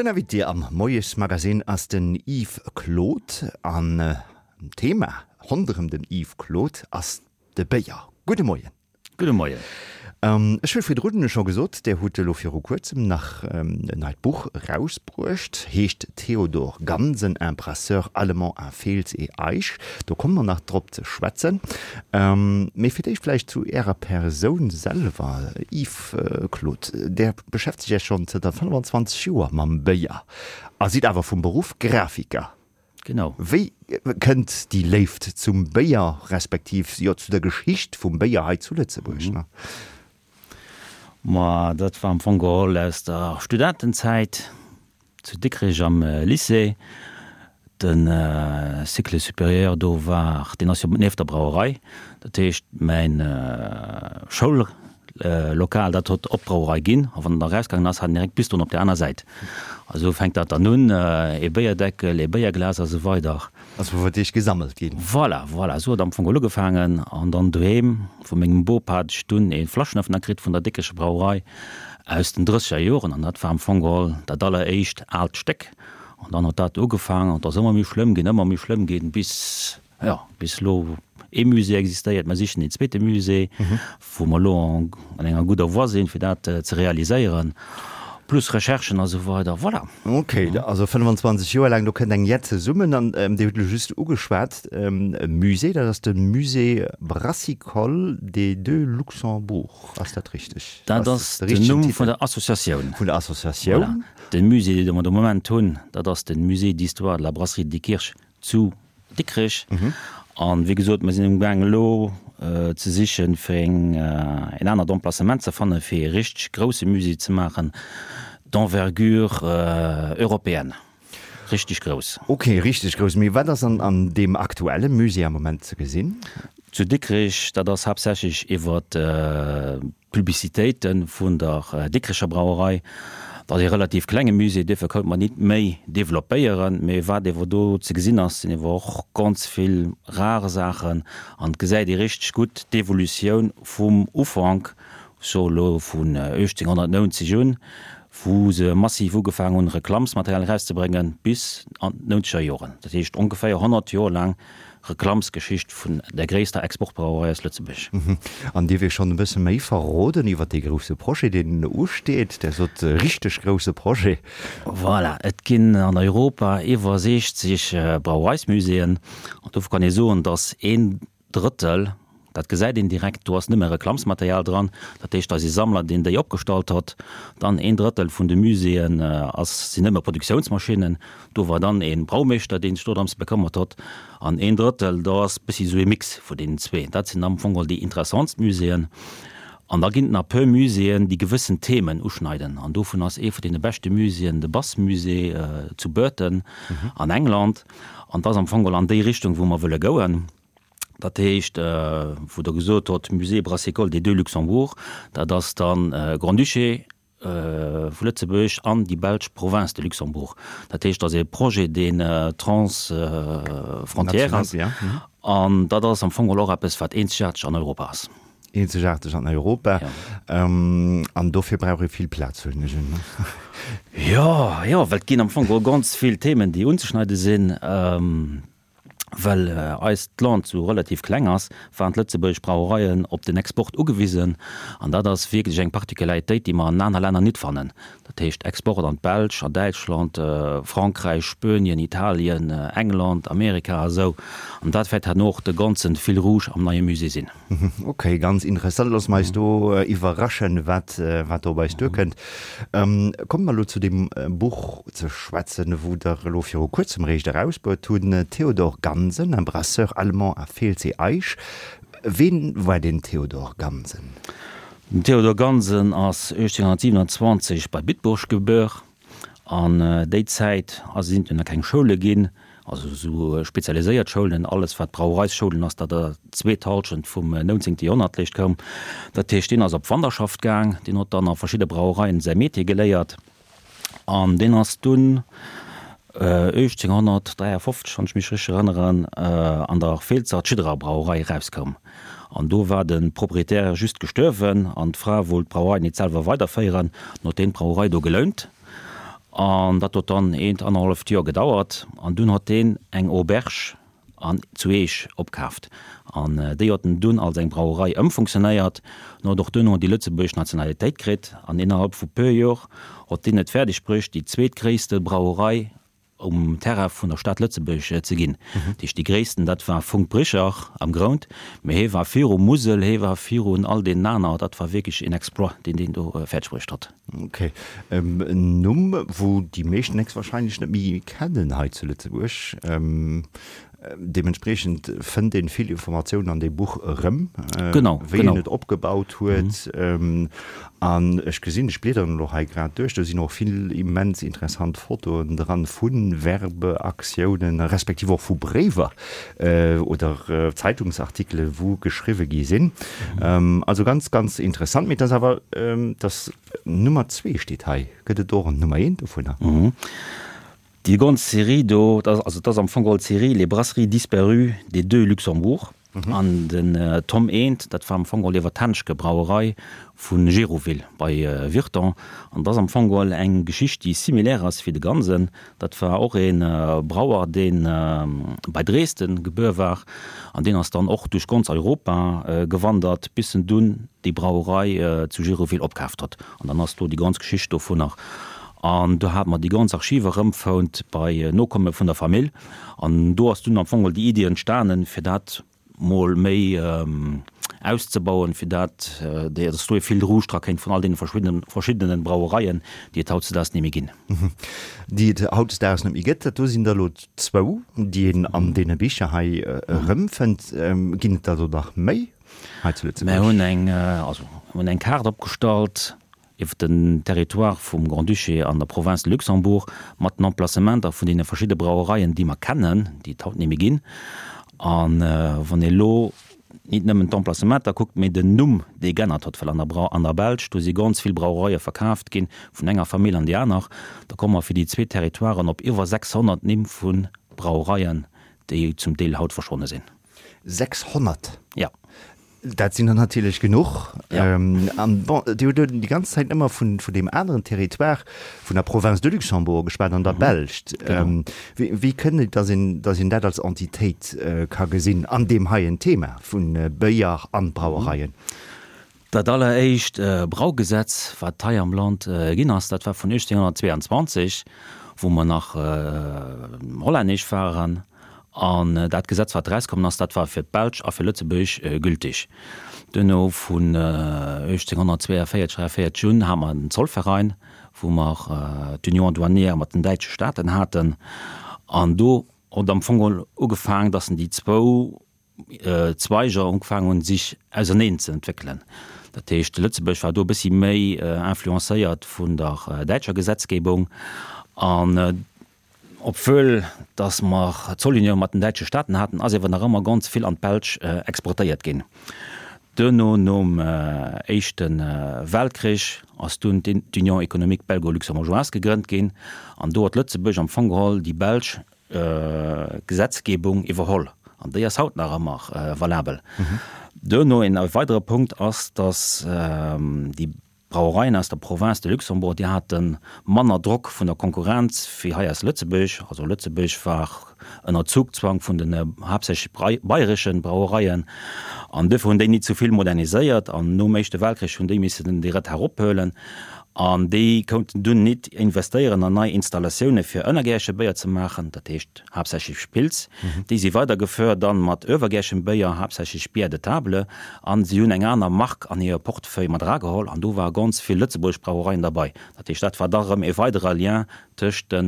Den Invité am Moiesmagazin ass den Yves Claude an d'Thema ronderëm den Yves Claude ass de Béier. Gudde Moien. Gudde Moien. Ech hu virdrun scho gesot, Dir hutt elo viru kuerzem nach en neit Buch erausbruecht, heescht Theodor Gansen, un brasseur allemand à Fels et Eich. Do komme mer nach drop ze schwätzen. Mee fir d'éischt vläicht zu Ärer Persoun selwer, Yves Claude. Där beschäftegt Iech schonn zënter 25 Joer mam Béier a sidd awer vum Beruff Grafiker. Genau. Wéi kënnt déi Léift zum Béier, respektiv jo zu der Geschicht vum Béier hei zu Lëtzebuerg? Ne? Ma dat war am Fong geholl aus der Studentenzäit zu Dikrech am Lycée. De Cycle supérieur do war, deen ass jo nieft der Brauerei. Dat heescht mäin Schoul Lokal, dat hott op d'Brauerei ginn, a wann en da erausgaangen ass, hat en direkt Bistroen op der aner Säit. A sou fänkt dat dann un, ee Béierdeckel, ee Béierglas a sou weider. Ass wou fir d'éischt gesammelt ginn. Voilà, voilà, sou huet am Fong geholl ugefaangen. An dann doheem vu mengem Bop hat ech dunn ee Flaschenöffner kritt vun der Dikrecher Brauerei aus den drësseger Joren, an dat war am Fong geholl dat alleréischt aalt Stéck. An dann huet dat ugefaangen, an et ass ëmmer méi schlëmm ginn, ëmmer méi schlëmm ginn, bis. Jo, bis elo ee Musée existéiert. Mer sichen een zweete Musée, wou mer elo an enger gudder Voie sinn, fir dat ze realiséieren, plus Recherchen a sou weider. Voilà. Ok, also 25 Joer laang, do kënnt eng jett zesummen. An Dir hutt elo just ugeschwat, e Musée, dat ass de Musée Brassicole des Deux Luxembourg, ass dat richteg? Dat ass den Numm vun der Associatioun. Vun der Associatioun. Voilà. De Musée, dee mer de Moment hunn, dat ass de Musée d'histoire de la Brasserie de Diekirch zu Dikrech. An wéi gesot, mer sinn amgaang elo ze sichen, fir eng, en anert Emplacement ze fannen, fir ee richteg grousse Musée ze maachen, d'envergure européenne, richteg grouss. Ok, richteg grouss. Mee wat ass an an deem aktuelle Musée am Moment ze gesinn? Zu Dikrech, dat ass haaptsächlech iwwer D'Publicitéite vun der Dikrecher Brauerei, dat ass ee relativ klenge Musée, duerfir konnte mer nit méi developpéieren. Mee wat ewer do ze gesinn ass, sinn ewer och ganz vill rar Saachen an et gesäit ee richteg gutt d'Evolutioun vum Ufank, ech soe lo vun 1890 un, wou se massiv ugefaangen hunn Reklammsmaterial erauszebréngen, bis an d'nountzeger Joren. Dat heescht ongeféier 100 Joer laang Reklammsgeschicht vun der gréisster Exportbrauerei aus Lëtzebuerg. An dierf ee schonn e bësse méi verroden iwwer dee grousse Projet, deen usteet? Der sot richteg grousse Projet. Voilà, et ginn an Europa iwwer 60 Brauereismuséeën an dofir kann ee soen, datt een Drëttel, dat gesäit een direkt, do ass nëmme Reklammsmaterial dran, dat heescht, da si Sammler, deen déi opgestallt hott. Dann een Drëttel vun de Muséeën ass, sinn nëmme Produktiounsmaschinnen, Do war dann ee Braumeeschter, dee sech dodrëms bekëmmert hott. An een Drëttel, do ass bëssi sou ee Mix vu deenen zwee. Dat sinn am Fong geholl déi interessantst Muséeën. An da ginn et nach e puer Muséeën, déi gewëssen Themen uschneiden. An dovun ass ee vun deene beschte Muséeën de Bass Musée zu Burton an England. An dat ass am Fong geholl an déi Richtung, wou mer wëlle gouen. Dat heescht, wou Der gesot hott, Musée Brassicole des Deux Luxembourg, dat ass dann Grand-Duché, vu Lëtzebuerg an déi belsch Province de Luxembourg. Dat heescht, dat ass ee Projet, deen transfrontière ass. An dat ass am Fong geholl och eppes, wat eenzegaarteg an Europa ass. Eenzegaarteg an Europa. An dofir brauch ee vill Plaz, huelen ech un. Jo, jo, well et ginn am Fong geholl ganz vill Themen, déi unzeschneide sinn. Well eist Land sou relativ kleng ass, waren d'lëtzebuergesch Brauereien op den Export ugewisen. An dat ass wierklech eng Particularitéit, déi mer an aner Länner nit fannen. Dat heescht Export an d'Belsch, an Däitschland, Frankräich, Spuenien, Italien, England, Amerika a sou. An dat wäert herno och de ganze Fil rouge am neie Musée sinn. Ok, ganz interessant. Loosse mer eis do iwwerraschen, wat, wat do op eis duerkënnt. Komme mer elo zu deem Buch ze schwätzen, wou Der elo viru kuerzem eréischt erausbruet hunn, Theodor Gansen, un brasseur allemand à Feelzee-Eich. Ween war deen Theodor Gansen? Den Theodor Gansen ass 1827 bei Bitburg gebuer. An déi Zäit ass sinn et jo nach keng Schoule ginn, also esou spezialiséiert Schoulen. Alles wat Brauereisschoulen ass, dat der zweet Halschent vum nonzéngte Joerhonnert léischt koum. Dat heescht, deen ass op Wanderschaft gaang, deen huet dann a verschidde Brauereien säi Métier geléiert an deen ass dunn 1853, wann ech mech richteg erënneren, an der Feelzer Tschidderer Brauerei erauskoum. An do war de Proprietär just gestuerwen an d'Fra wollt d'Brauerei nit selwer weiderféieren, an huet deen d'Brauerei do gelount. An dat huet dann eent, annerhalleft Joer gedauert. An dunn hott deen eng Auberge an zu Eech opkaaft. An déi huet en dunn als eng Brauerei ëmfunktionéiert. En huet och duerno déi lëtzebuergesch Nationalitéit kritt. An innerhalb vu puer Jor huet deen et fäerdeg bruecht, déi zweetgréisste Brauerei um Terrain vun der Stad Lëtzebuerg ze ginn. Dat heescht, déi gréissten, dat war Funck-Bricher am Grount, mee hee war viru Musel, hee war virun all deenen aner. Dat war wierklech een Exploit, deen deen do fäerdeg bruecht huet. Ok. En Numm, wou déi meeschten héchstwahrscheinlech net méi kennen hei zu Lëtzebuerg. Deementspriechend fënnt een vill Informatiounen an deem Buch erëm, wéi en et opgebaut huet. An ech gesinn, ech bliederen elo hei grad duerch, do sinn och vill immens interessant Fotoen dran vu Werbeaktiounen, respektiv och vu Bréiwer oder Zeitungsartikele wou geschriwwe gi sinn. Also ganz, ganz interessant. Mee et ass awer, dass Nummer zwee steet hei. Gëtt et och en Nummer eent dovunner? Déi ganz Serie do, dat ass, also dat ass am Fong geholl d'Serie Les brasseries disparues des deux Luxembourg. An den Tom eent, dat war am Fong geholl iwwer d'Henschke Brauerei vu Gérouville bei Virton. An dat ass am Fong geholl eng Geschicht, déi similaire ass wéi de Gansen. Dat war och ee Brauer, dee bei Dresden gebuer war. An deen ass dann och duerch ganz Europa gewandert, bis en dunn déi Brauerei zu Gérouville opkaaft huet. An dann ass do déi ganz Geschicht dovunner. An do hate mer déi ganz Archive erëmfount bei Nokomme vun der Famill. An do ass dunn am Fong déi Iddi entstanen, fir dat mol méi auszebauen, fir dat, dass do e Fil rouge dra kéint vun all deene verschiddenen Brauereien, déi et hautdesdaags net méi ginn. Déi et hautdesdaags net méi gëtt. Dat do sinn der elo zwou, déi een an deene Bicher hei erëmfënnt. Ginn et der do nach méi hei zu Lëtzebuerg? Mir hunn eng, also mir hunn eng Kaart opgestallt iwwer den Territoire vum Grand-Duché an der Province de Luxembourg mat den Emplacementer vun deene verschidde Brauereien, déi mer kennen, déi et haut net méi ginn. A wann ee lo nit nëmmen d'Emplacementer kuckt, mee den Numm, dee g'ännert huet, well an der Brau, an der Belsch, do si ganz vill Brauereie verkaaft ginn, vun enger Famill an déi aner, da komme mer fir déi zwee Territoiren op iwwer 600 Nimm vu Brauereien, déi zum Deel haut verschwonne sinn. 600? Jo. Dat sinn der natierlech genuch. Ja. An bon, Dir hutt elo déi ganz Zäit ëmmer vun, vun deem aneren Territoire, vun der Province de Luxembourg geschwat an der Belscht. Genau. Wéi, wéi kënnt et, dass een, dass een dat als Entitéit ka gesinn an deem heien Thema vu Béier an Brauereien? Dat alleréischt Braugesetz, wat hei am Land ginn ass, dat war vun 1822, wou mer nach hollännesch waren. An dat Gesetz, wat erauskommen ass, dat war fir d'Belsch a fir Lëtzebuerg gültig. Duerno vun 1842, 43 un hate mer den Zollverein, wou mer d'Union douanière mat den däitsche Staaten haten. An do huet am Fong geholl ugefaang, dass déi zwou Zweiger ugefaangen hunn, sech auserneen ze entwéckelen. Dat heescht, Lëtzebuerg war do e bëssi méi influencéiert vun der däitscher Gesetzgebung. An obwuel datt mer Zollunioun mat den däitsche Staaten haten, ass ewer nach ëmmer ganz vill an d'Belsch exportéiert ginn. Duerno, nom Éischte Weltkrich, ass dunn d'Union économique belgo-luxembourgeoise gegrënnt ginn. An do huet Lëtzebuerg am Fong geholl déi belsch Gesetzgebung iwwerholl, an déi ass haut nach ëmmer valabel. Duerno een weidere Punkt ass, datt déi Brauereien aus der Province de Luxembourg, déi hate manner Drock vun der Konkurrenz wéi hei aus Lëtzebuerg. Also Lëtzebuerg war ënner Zugzwang vun den haaptsächlech bayreschen Brauereien, an duerfir hunn déi nit sou vill moderniséiert, an nom Éischte Weltkrich hunn déi missen dee Retard ophuelen. An déi kounten dunn nit investéieren an nei Installatioune fir ënnergäerche Béier ze maachen, dat heescht haaptsächlech Pils. Déi si weidergeföhrt dann mat öwergäerchem Béier, haaptsächlech Bière de table. An si hunn eng aner Mark an hire Portefeuille mat erageholl an do ware ganz vill lëtzebuergesch Brauereien derbei. Dat heescht, dat war da rëm e weidere Lien tëscht de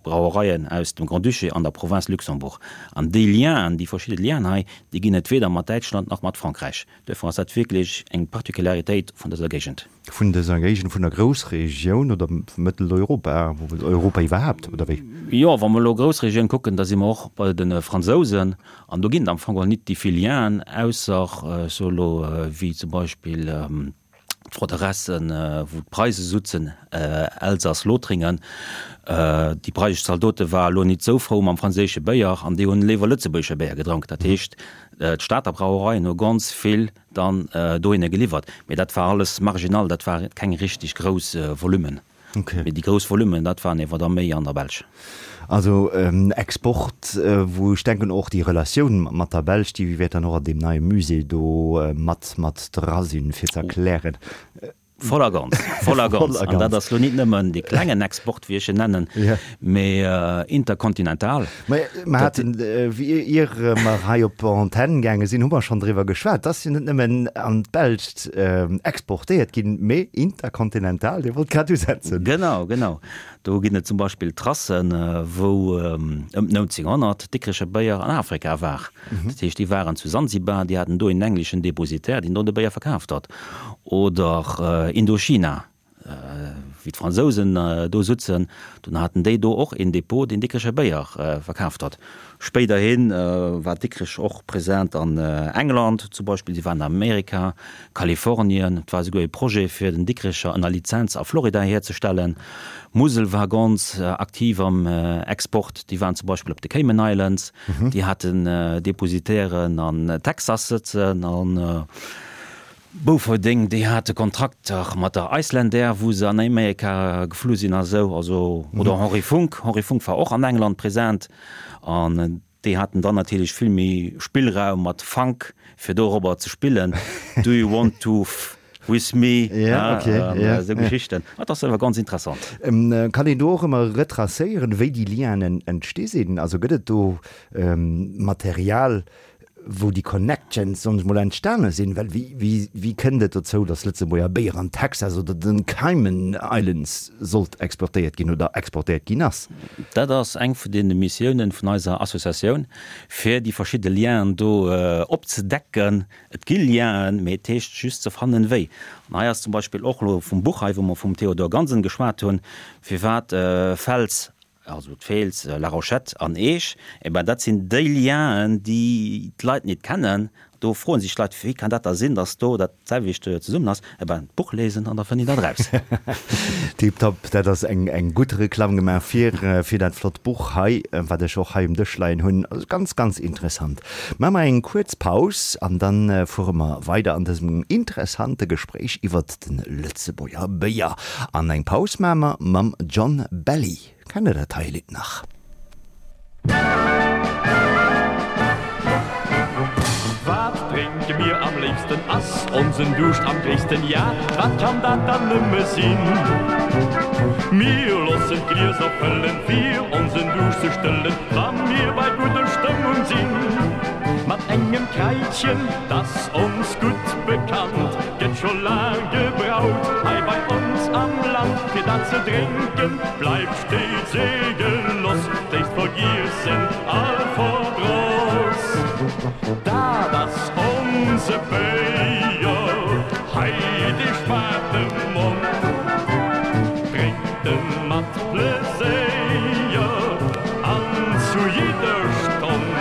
Brauereien aus dem Grand-Duché an der Province Luxembourg. An déi Lienen, déi verschidde Lienen hei, déi ginn et weder mat Däitschland nach mat Frankräich. Duerfir ass dat wierklech eng Particularitéit vun dëser Géigend. Vun dëser Géigend, vun der Groussregioun oder Mëtteleuropa, Europa iwwerhaapt, oder wéi? Jo, wa mer elo Groussregioun kucken, da si mer och bei de Fransousen an do ginn et am Fong och nit déi vill Lienen, ausser, ech soe elo, wéi zum Beispill d'Froderessen, wou d'Preise sutzen, Elsass, Lothringen. Déi preisesch Zaldote ware elo nit esou frou mam franséische Béier an déi hunn léiwer lëtzebuergesche Béier gedronk. Dat heescht, d'Stater Brauereien hu ganz vill dann dohinner geliwwert. Mee dat war alles marginal, dat war keng richteg grouss Volummen. Mee déi grouss Volummen, dat waren ewer da méi an der Belsch. Also Export, wou ech denken och déi Relatioun mat der Belsch, déi wäert dann och an deem neie Musée do mat mat dra sinn, fir ze erklären. Voll a ganz, voll a ganz. An dat ass lo nit nëmmen dee klengen Export, wéi ech en nennen, mee interkontinental. Mä mer haten, ier mer hei op Antenn gaange sinn, hu mer schonn driwwer geschwat, dass jo net nëmmen an d'Belscht exportéiert ginn, mee interkontinental. Dir wollt grad usetzen. Genau, genau. Do ginn et zum Beispill Tracen, wou ëm 1900 Dikrecher Béier an Afrika war. Dat heescht, déi waren zu Sansibar, déi haten do een engleschen Depositär, deen do de Béier verkaaft hat. Oder Indochina, wéi d'Fransousen do sutzen, dunn haten déi do och een Depot, deen Dikrecher Béier verkaaft hat. Spéiderhi war Dikrech och present an England zum Beispill, si waren an Amerika, Kalifornien, et war esouguer ee Projet fir den Dikrecher ënner Lizenz a Florida hierzestellen. D'Musel war ganz aktiv am Export, déi waren zum Beispill op de Cayman Islands, déi haten Depositairen an Texas sëtzen an Bouferdeng, déi hate Kontrakter mat der Icelandair, wou se an Amerika geflu sinn a sou. Also, oder Henri Funck, Henri Funck war och an England present an déi haten dann natierlech vill méi Spillraum mat Funk, fir dorobber ze spillen, Do you want to f with me? Ja, okay, an ja, esou Geschichten. Dat ass awer ganz interessant. Kann een do och ëmmer retracéieren, wéi déi Lienen entsti sinn? Also gëtt et do Material, wou déi Connections, soen ech mol, entstane sinn? Well wéi, wéi, wéi kënnt et dozou, datt Lëtzebuerger Béier an Texas oder den Cayman Islands sollt exportéiert ginn oder exportéiert ginn ass? Dat ass eng vun deene Missiounen vun eiser Associatioun, fir déi verschidde Lienen do opzedecken. Et gi Lienen, mee et heescht just ze fannen, wéi. An hei ass zum Beispill och elo vum Buch hei, wou mer vum Théodore Gansen geschwat hunn, firwat Fels Also d'Feels, La Rochette an Eech, eh ben dat sinn déi Lienen, déi d'Leit nit kennen. Do froen sech d'Leit, wéi kann dat da sinn, datt do dat selwecht zesummen ass? Eh ben, d'Buch lesen an da fënnt een dat eraus. Tiptop, dat ass eng eng gutt Reklamm gemaach fir fir dat flott Buch hei, wat ech och hei um Dësch leien hunn. Also ganz, ganz interessant. Maache mer eng kuerz Paus an dann fuere mer weider an dësem interessante Gespréich iwwert de Lëtzebuerger Béier. An eng Paus maache mer mam John Belly. Kennt der dat hei Lidd nach? Wat drénke mir am léifsten? Ass onsen Duuscht am gréissten? Ja, wat kann dat dann nëmme sinn? Mir loossen d'Glieser fëllen, fir onsen Duuscht ze stëllen, wa mir bei gudder Stëmmung sinn. Mat engem Kraitchen, 't ass ons gutt bekannt, gëtt scho laang gebraut hei bei ons am Land. Fir dat ze drénken bleift steets ee Geloss, léisst vergiessen all Verdross. Dat ass onse Béier, hei dee schmaacht dem Mond, drénkt en mat Pleséier an zu jidder Stonn.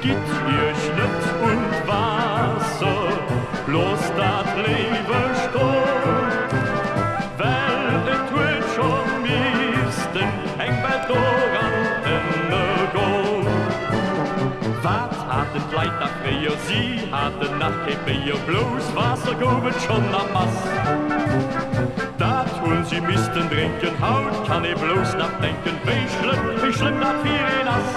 Gitt iech net un d'Waasser, loosst dat léiwer stoen, well et huet scho missten eng Welt doran ënnergoen. Wat haten d'Leit nach fréier, si haten nach kee Béier, blouss Waasser gouf et schonn a Mass. Dat hunn si missten drénken, haut kann ee blouss nach denken, wéi schlëmm, wéi schlëmm dat fir een ass.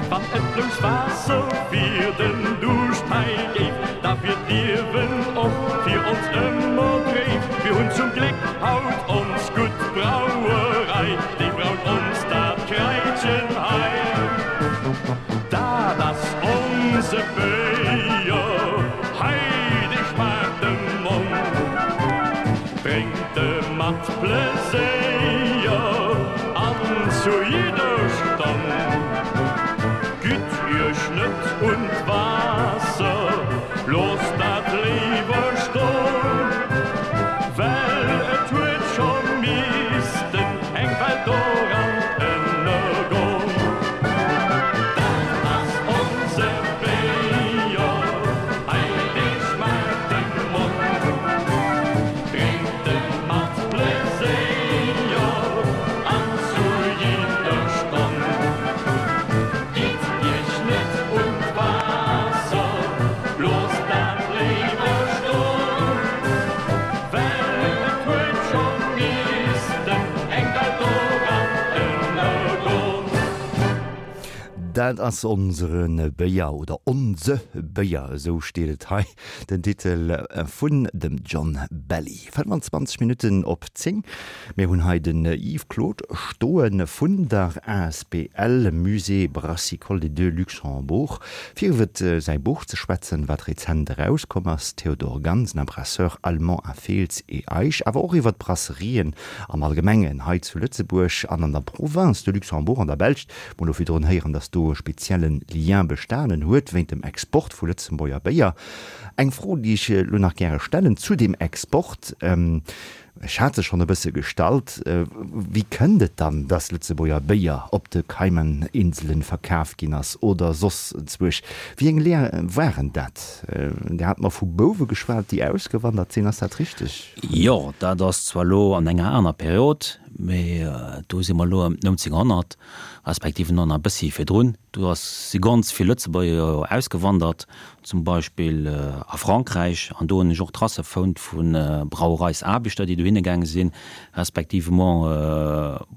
Wann et blouss Waasser fir den Duuscht hei géif, da wier d'Liewen och fir ons ëmmer dréif. Mir hunn zum Gléck haut ons gutt Brauerei, déi braut ons dat Kraitchen hei. Dat ass onse Béier hei, dee schmaacht dem Mond, drénkt e mat Pleséier an zu jidder Stonn. Gitt iech net un d'Waasser, loosst dat léiwer stoen, well et huet scho missten eng Welt doran ënnergoen. Dat ass onse Béier, hei dee schmaacht dem Mond, drénkt e mat Pleséier an zu jidder Stonn. Dat ass onsere Béier oder onse Béier, esou steet et hei, den Titel vun dem John Belly. 25 Minutten op 10. Mir hunn hei den Yves Claude stoe vun der asbl Musée Brassicole des Deux Luxembourg, fir iwwer säi Buch ze schwätzen, wat rezent erauskomm ass, Theodor Gansen, un brasseur allemand à Fels et Eich, awer och iwwer d'Brasserien am Allgemengen hei zu Lëtzebuerg an an der Province de Luxembourg, an der Belsch. Mer hu lo virdrun héieren, dass do e spezielle Lien bestanen huet wéint dem Export vu Lëtzebuerger Béier. Eng Fro, déi ech elo nach gäre stellen zu deem Export, ech hat se schonn e bësse gestallt, Wéi kënnt et dann, dass Lëtzebuerger Béier op de Cayman-Inselen verkaf ginn ass oder soss enzwuesch? Wéi eng Lien waren dat? Dir hat mer vu Bouwe geschwat, déi ausgewandert sinn. Ass dat richteg? Jo, dat ass zwar elo an enger aner Period, mee do si mer elo ëm 1900, respektiv nach e bëssi virdrun. Do ass, si ganz vill Lëtzebuerger jo ausgewandert, zum Beispill a Frankräich. An do hunn ech och Tracë fonnt vu Brauereisaarbechter, déi dohinne gaange sinn, respectivement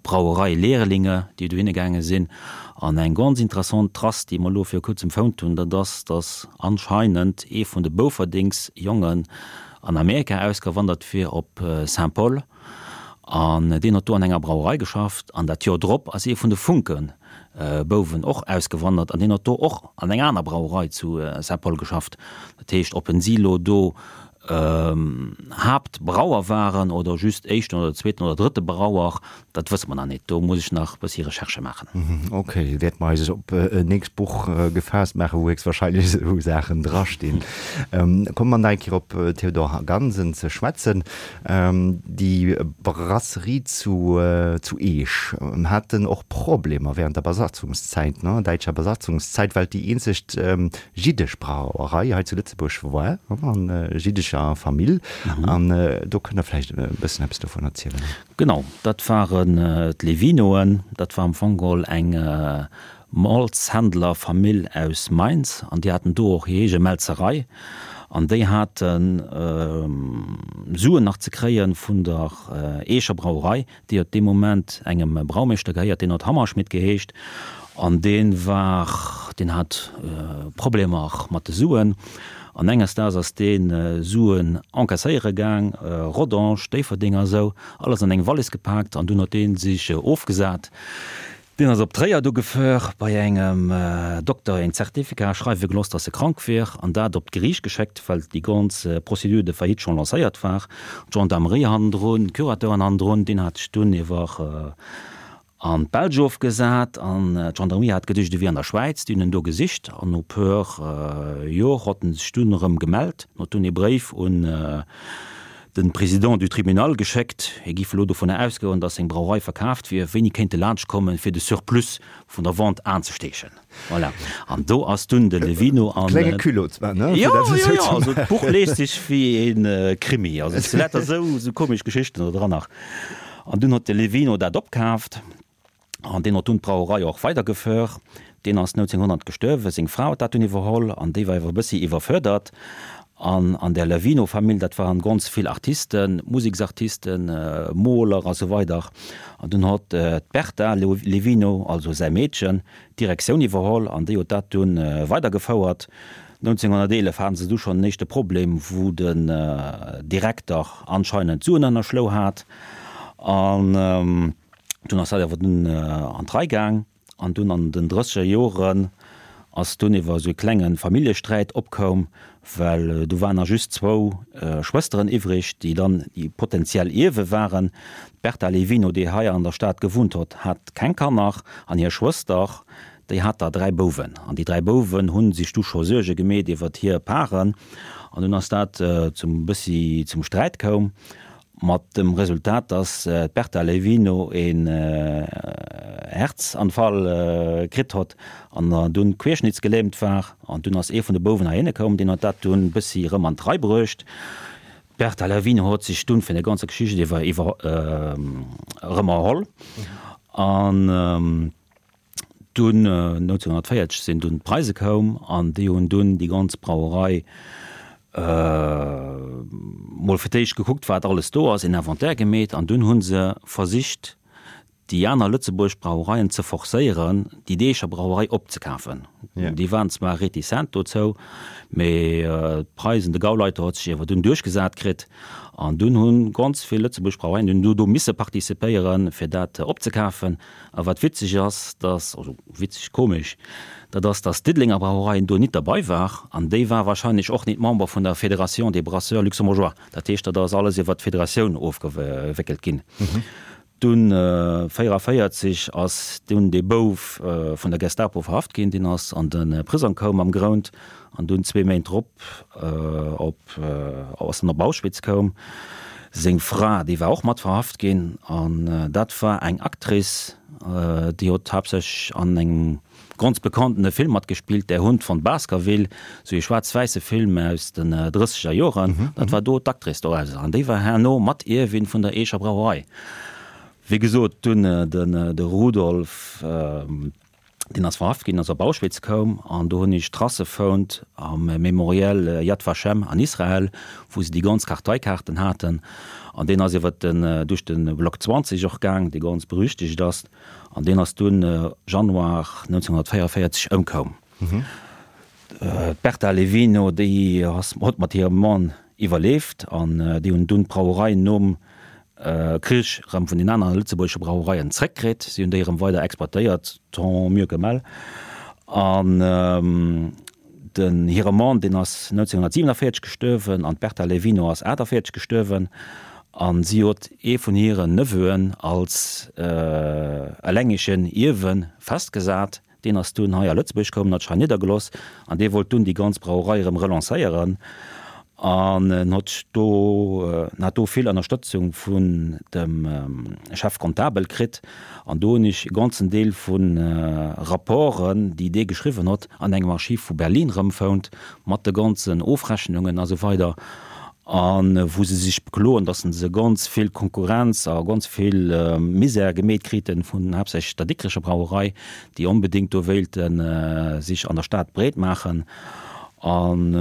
Brauereilehrlinge, déi dohinne gaange sinn. An eng ganz interessant Trace, déi mer elo viru kuerzem fonnt hunn, dat ass, datt anscheinend ee vun de Boufferdingsjongen an Amerika ausgewandert wier op Saint Paul an deen huet do an enger Brauerei geschafft an dat Joer drop ass ee vun de Funke Bouwen och ausgewandert an deen huet do och an enger aner Brauerei zu Saint Paul geschafft. Dat heescht ob en si lo do Haaptbrauer waren oder just éischten oder zweeten oder drëtte Brauer, Dat wësse mer nach net, do muss ech nach e bëssi Recherchë maachen. Ok, wäerte mer eis op en nächst Buch gefaasst maachen, wou héchstwahrscheinlech esou Saachen drastinn. Komme mer nach eng Kéier op Théodore Gansen ze schwätzen. Déi Brasserie zu zu Eech haten och Problemer während der Besatzungszäit, ne, däitscher Besatzungszäit, well et déi eenzegt jiddesch Brauerei hei zu Lëtzebuerg war, an jiddescher Famill. An do kënnt Der vläicht e bëssen eppes dovun erzielen. Genau, dat waren d'Levinoen. Dat war am Fong geholl eng Malzhändlerfamill aus Mainz an déi haten do och hir eege Mälzerei an déi hate Suen nach ze kréie vun der Eecher Brauerei, déi huet dee Moment engem Braumeeschter gehéiert, deen huet Hammerschmidt geheescht an dee war, deen hat Problemer mat de Suen. An enges Daags ass dee Suen encaisséiere gaang, Rodange, Déifferdeng a sou, alles an eng Wallis gepaakt an dunn huet dee sech ofgesat. Deen ass op Tréier du gefuer, bei engem Dokter een Zertifikat schreiwe gelooss, dass e krank wier an dat op d'Geriicht geschéckt, well déi ganz Procédure de faillite schonn lancéiert war. D'Gendarmerie hannendrun, d'Curateuren hannendrun, deen hat sech dunn iwwer an d'Belsch ofgesat an d'Gendarmerie hat geduecht, e wier an der Schwäiz. Déi hunn en do gesicht an no puer Jor hott en sech dunn erëm gemellt. En huet dunn ee Bréif un de Président du Tribunal geschéckt, hie giff elo dovunner ausgoen, datt seng Brauerei verkaaft wier, wéini kéint e laanscht kommen, fir de Surplus vun der Vente anzesteechen. Voilà. An do ass dunn de Levino an. Klenge Culot zwar, ne? Jo, jo, jo, also d'Buch liest sech wéi ee Krimi, also et si lauter esou komesch Geschichten do dran nach. An dunn huet de Levino dat opkaaft an deen huet dunn d'Brauerei och weidergeföhrt. Deen ass 1900 gestuerwen, seng Fra huet dat dunn iwwerholl an déi war iwwer e bëssi iwwerfördert. An an där Levino-Famill, dat waren ganz vill Artisten, Museksartisten, Moler a sou weider. An dunn huet d'Berta Levino, also säi Meedchen, d'Direktioun iwwerholl an déi huet dat dunn weidergefouert. 1911 haten se du schonn en éischte Problem, wou den Direkter anscheinend Suen ënnerschlou hat. An dunn ass dat awer dunn an d'Rei gaang. An dunn an den drësseger Joren ass dunn iwwer esou e klenge Familljesträit opkoum, well do waren nach just zwou Schwësteren iwwreg, déi dann déi potentiell Ierwe waren. D'Berta Levino, déi hei an der Stad gewunnt hott, hat keng Kanner an hir Schwëster, Déi hat der 3 Bouwen, an déi 3 Bouwen hu sech du scho Suerge gemeet iwwert hir Paren, an dunn ass dat zum bëssi zum Sträit koum, mat dem Resultat, dass d'Berta Levino een Herzanfall kritt hott an dunn querschnittsgelähmt war, an dunn ass ee vun de Bouwen heihinne koum, deen huet dat dunn bëssi erëm an d'Rei bruecht. D'Berta Levino hott sech dunn vun der ganzer Geschicht iwwer iwwer erëm erholl, an. Dunn 1940 sinn dunn d'Preise koum an déi hunn dunn déi ganz Brauerei mol fir d'éischt gekuckt wat alles do ass, een Inventaire gemeet an dunn hu se versicht. déi aner Lëtzebuerg Brauereien ze forcéieren, déi Deecher Brauerei opzekafen. Déi waren zwar reticent dozou, mee d'Preisen, de Gauleiter huet sech iewer dunn duerchgesat kritt an dunn hu ganz vill Lëtzebuerg Brauereien dunn do misse participéieren, fir dat opzekafen. A wat witzeg ass, dass, also witzeg, komesch, dat ass, dass d'Diddelenger Brauerei do nit derbei war an déi war wahrscheinlech och nit Member vun der Fédération des Brasseurs Luxembourgeois. Dat heescht, dat ass alles iwwert d'Federatioun ofgewéckelt ginn. Dunn 44 ass dunn dee Bouf vun der Gestapo verhaft ginn, deen ass an de Prisong koum am Grount an dunn zwee Méint drop op ass en op Auschwitz koum. Seng Fra, déi war och mat verhaft ginn an dat war eng Actrice, déi huet haaptsächlech an engem ganz bekannten Film matgespillt, Der Hund von Baskerville, sou ee schwaarz-wäisse Film aus den drësseger Joren. Dat war do d'Actrice dorauser an déi war herno Mat-Ierwin vun der Eecher Brauerei. Wéi gesot, dunn den de Rudolf, deen ass verhaft ginn, ass op Auschwitz koum an do hunn ech Tracë fount am Memorial Yad Vashem an Israel, wou se déi ganz Karteikaarten haten an deen ass iwwer den duerch de Block 20 och gaang, dee ganz berüchtegt ass. An deen ass dunn Januar 1944 ëmkoum. D'Berta Levino, déi ass huet mat hirem Mann iwwerleeft an déi hunn dunn d'Brauerei nom Krich erëm vun den anere lëtzebuergesche Brauereien zréckkritt. Si hunn déi erëm weider exploitéiert, tant mieux que mal. An Den hire Mann, deen ass 1947 gestuerwen an d'Berta Levino ass 48 gestuerwen a si huet ee vun hiren Neveuen als elengegen Ierwe festgesat. Deen ass dunn hei a Lëtzebuerg koum, hat sech hei niddergeloss an dee wollt dunn déi ganz Brauerei erëm relancéieren an en hott do, en hat do vill Ënnerstëtzung vun dem Chef comptable kritt. An do hunn ech e ganzen Deel vu Rapporten, déi dee geschriwwen hott, an engem Archiv vu Berlin erëmfount, mat de ganzen Ofrechnungen a sou weider, a wou se sech bekloen, datt se ganz vill Konkurrenz a ganz vill Misär gemeet kriten vun haaptsächlech der Dikrecher Brauerei, déi onbedéngt do wéilte sech an der Stad breet maachen. An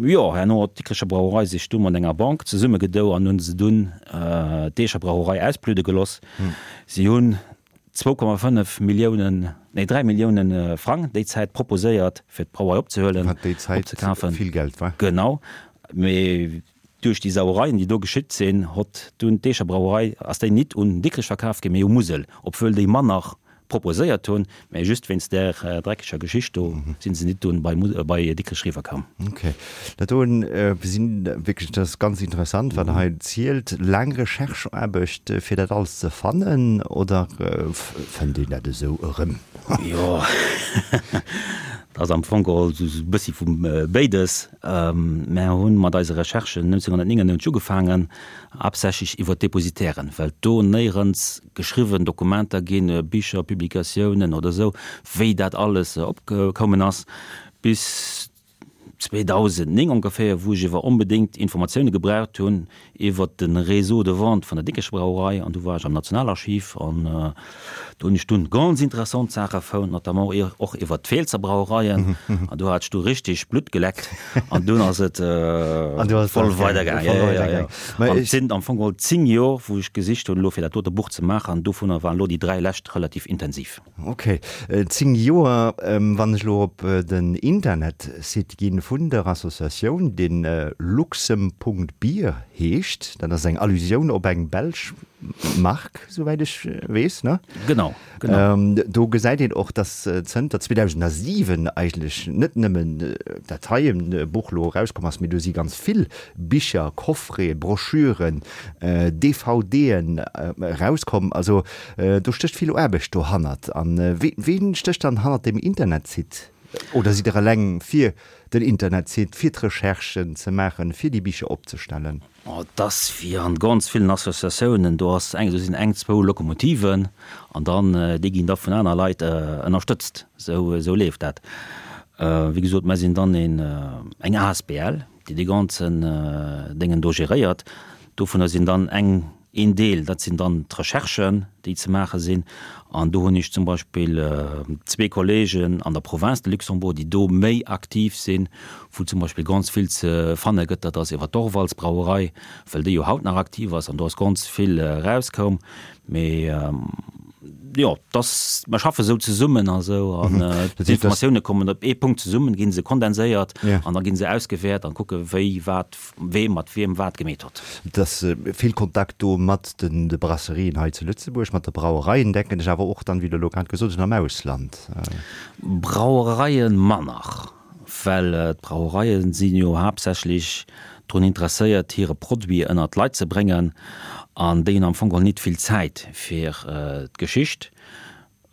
jo, herno huet d'Dikrecher Brauerei sech du mat enger Bank zesummegedou an hunn se dunn d'Eecher Brauerei ausbludde geloss. Si hunn 2,5 Milliounen, nee 3 Millioune Frang déi Zäit proposéiert, fir d'Brauerei opzehuelen, Wat déi Zäit opzekafen. vill Geld war. Genau, mee duerch déi Sauereien, déi do geschitt sinn, hott dunn d'Eecher Brauerei, ass déi nit un Dikrech verkaf ginn, mee u Musel, obwuel déi manner proposéiert hunn, mä just wéinst där dreckeger Geschicht do si se nit dunn bei bei Dikrech riwwer koum. Ok, dat doen sinn wierklech, dat ass ganz interessant wat Der hei zielt. Laang Rechercheaarbecht fir dat alles ze fannen oder fënnt een dat esou erëm? Jo, dat ass am Fong geholl esou e bëssi vu béides. Mär hunn mat eise Recherchen 1999 ugefaangen, haaptsächlech iwwer d'Depositairen, well do néierens geschriwwen Dokumenter ginn, Bicher, Publikatiounen oder esou, wéi dat alles opkoumen ass, bis 2009 ongeféier, wou ech ewer onbedéngt Informatioune gebraucht hunn iwwer de Réseau de vente vun der Dikrecher Brauerei. An du war ech am Nationalarchiv an do hunn ech dunn ganz interessant Saache found, notamment och iwwer d'Feelzer Brauereien. An do hat ech du richtig Blutt geleckt an dunn ass et voll weidergaangen. An et sinn am Fong geholl 10 Jor, wou ech gesicht hunn elo fir dat dote Buch ze maachen, an dovunner waren elo déi 3 lescht relativ intensiv. Ok, 10 Joer. Wann ech elo op den Internetsite ginn vun der Associatioun, deen luxem.bier heescht, dat ass eng Allusioun op eng belsch Mark, souwäit ech weess, ne? Genau. Do gesäit een och, dass zënter 2007 eigentlech net nëmmen dat heien Buch elo erauskomm ass, mee do si ganz vill Bicher, Coffreten, Broschüren, DVDen erauskomm. Also do stécht vill Aarbecht dohannert. A ween stécht dann hannert deem Internetsite? Oder sidd Der eleng fir den Internetsite, fir d'Recherchen ze maachen, fir déi Bicher opzestellen? Oh, et ass wéi an ganz villen Associatiounen, do ass eng, do sinn eng, zwou Lokomotiven an dann, déi ginn da vun aner Leit ënnerstëtzt. Esou, esou leeft dat. Wéi gesot, mer sinn dann een, eng asbl, déi dee ganzen Déngen do geréiert. Dovunner sinn dann eng. Een Deel, dat sinn dann d'Recherchen, déi ze maache sinn. An do hunn ech zum Beispill zwee Kollegen an der Province de Luxembourg, déi do méi aktiv sinn, wou zum Beispill ganz vill ze fanne gëtt, dat ass iwwer d'Orvalsbrauerei, well déi jo haut nach aktiv ass an do ass ganz vill erauskoum. Mee jo, dass, mer schaffe sou zesummen a sou an d'Informatioune kommen op ee Punkt zesummen, gi se kondenséiert an da gi se ausgewäert an kucke wéi wat wee mat wiem wat gemeet hott. Et ass vill Kontakt do mat de Brasserien hei zu Lëtzebuerg, mat de Brauereien, denken ech, awer och dann, wéi Der elo grad gesot hutt, am Ausland. Brauereie manner, well d'Brauereie si jo haaptsächlech drun interesséiert, hire Produit ënnert d'Leit ze bréngen an déi hunn am Fong geholl nit vill Zäit fir d'Geschicht.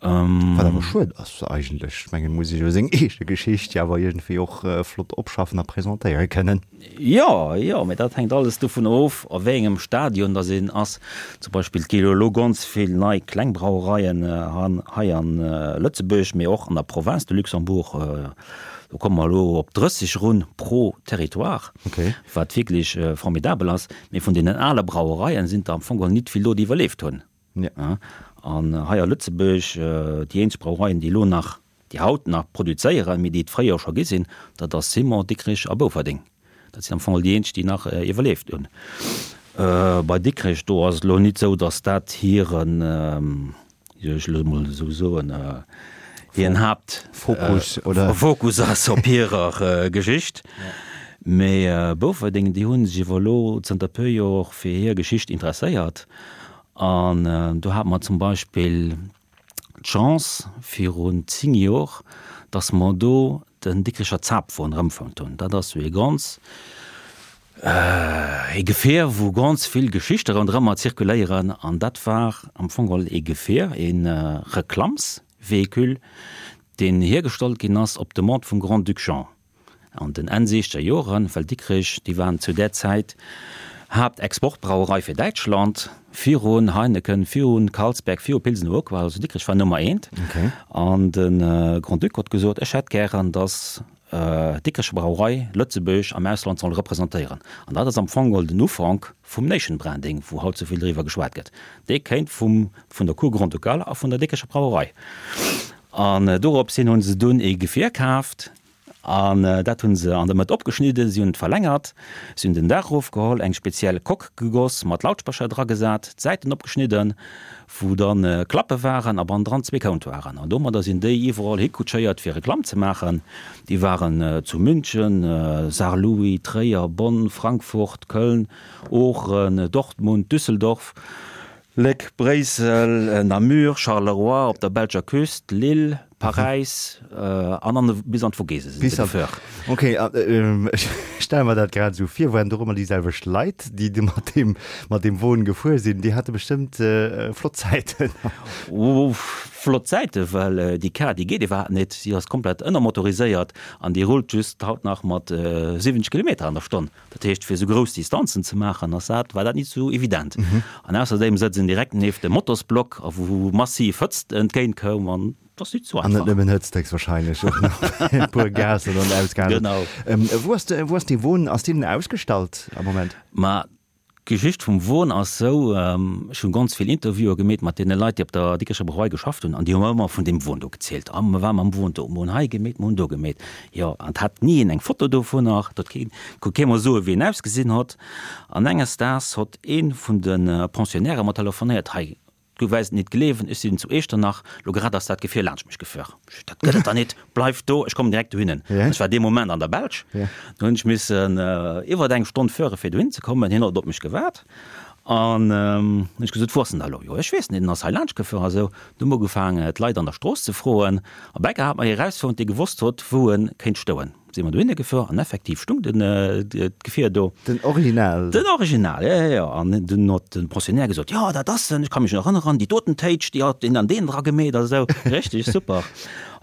Wat awer schued ass eigentlech. Ech mengen, et muss ee jo seng eege Geschicht jo awer iergendwéi och flott opschaffen a presentéiere kënnen. Jo, jo, mee dat hänkt alles dovun of, a wéi engem Stadion dass een ass. Zum Beispill, et gi jo elo ganz vill nei kleng Brauereien hei a Lëtzebuerg, mee och an der Province de Luxembourg. Do komme mer elo op 30 erun pro Territoire, wat wierklech formidabel ass. Mee vun deenen ale Brauereien sinn der am Fong geholl nit vill do, déi iwwerleeft hunn. An hei a Lëtzebuerg, déi eenzeg Brauereien, déi elo nach, déi haut nach produzéieren, mee déi et fréier scho gi sinn, dat ass Simon, Dikrich a Bouferdeng. Dat sinn am Fong déi eenzeg, déi nach iwwerleeft hunn. Bei Dikrech, do ass et elo nit esou, datt dat hiren, wéi soll ech elo emol esou soen, hiren Haaptfokus Fokus ass op hirer Geschicht. Mee Bouferdeng, déi hu sech iwwer elo zënter e puer Joer fir hir Geschicht interesséiert An do hate mer zum Beispill d'Chance virun 10 Jor, dass mer do den Dikricher Zapfwon erëmfonnt hunn. Dat ass sou ee ganz, ee Gefier, wou ganz vill Geschichte ronderëmmer zirkuléieren. An dat war am Fong geholl ee Gefier, ee Reklammsvéhicule, deen hiergestallt ginn ass op Demande vum Grand-Duc Jean. An den Enn siechzeger Joren, well Dikrich, déi waren zu där Zäit Haaptexportbrauerei fir Däitschland, virun Heineken, virun Carlsberg, viru Pilsener Urquell, also Dikrich war Nummer eent. An de Grand-Duc huet gesot, ech hätt gären, datt d'Dikricher Brauerei Lëtzebuerg am Ausland soll representéieren. An dat ass am Fong geholl den Ufank vum Nation Branding, wou haut sou vill driwwer geschwat gëtt. Dee kéint vum, vun der Cour Grand-Ducale a vun der Dikricher Brauerei. An dorops hin hu se dunn ee Gefier kaaft an dat hu se an der Mëtt opgeschnidden, si hunn et verlängert, si hunn den Daach erofgeholl, eng speziell Coque gegoss, mat Lautsprecher dragesat, d'Säiten opgeschnidden, wou dann Klappe waren a bannendran zwee Comptoiren. An domadder sinn déi iwwerall hikutschéiert fir Reklamm ze maachen. Déi waren zu München, Saarlouis, Tréier, Bonn, Frankfurt, Köln, Oochen, Dortmund, Düsseldorf. Léck, Bréissel, Namur, Charleroi, op der belscher Küst, Lille, Paräis an an bis an d'Vogese sinn se gefuer. Ok, ech stelle mer dat grad esou vir, waren do ëmmer déi selwecht Leit, déi du mat deem mat deem Won gefuer sinn? Déi hate bestëmmt flott Zäiten. Flott Zäiten, well déi Kar, déi geet iwwerhaapt net, si ass komplett ënnermotoriséiert an déi rullt just haut nach mat 70 Kilometer an der Stonn. Dat heescht, fir esou grouss Distanzen ze maachen, ass dat, war dat nit esou evident. An ausserdeem sëtz en direkt nieft dem Motorsblock, a wou massiv Hëtzt entgéint koum, an et ass nit esou An net einfach. nëmmen Hëtzt, héchstwahrscheinlech och nach e puer Gaser dann ausgehaalt. Genau. Wou ass de, wou ass dee Won, ass deen ausgestallt am Moment? Ma D'Geschicht vum Won ass sou, ech hunn ganz vill Interviewen gemeet mat deene Leit, déi op der Dikrecher Brauerei geschafft hunn, an déi hu mer ëmmer vun deem Won do gezielt. A mer ware mam Won do, mer hunn hei gemeet, mer hunn do gemeet. Jo, an et hat ni een eng Foto dovunner, et huet keen, konnt kee mer soen, wéi en ausgesinn hott. An enges Daags hott ee vun de Pensionnairë mer telefonéiert, Hei, Du wäis et nit gleewen, ech sinn zu Eechternach, lo grad ass dat Gefier laanscht mech gefuer. Ech, Dat gëtt et der nit, bleif do, ech kommen direkt dohinnen. Ech war dee Moment an der Belsch, do hunn ech missen iwwert eng Stonn fuere fir dohin ze kommen. Hien huet op mech gewaart an hunn ech gesot, Wou ass en da lo? Jo, ech weess net, en ass hei laanscht gefuer a sou. Du hu mer ugefaangen d'Leit an der Strooss ze froen a bäcker hat mer ee rausfonnt, dee gewosst huet, wou e kéint stouen. Si mer dohinne gefuer an effektiv stung den d'Gefier do. Den Original? Den Original, jo, jo, jo. An dunn huet de Pensionnaire gesot, jo, dat ass en, ech ka mech nach erënneren, déi doten Téitsch, déi hat deen an deen dra gemeet a sou. Richteg super.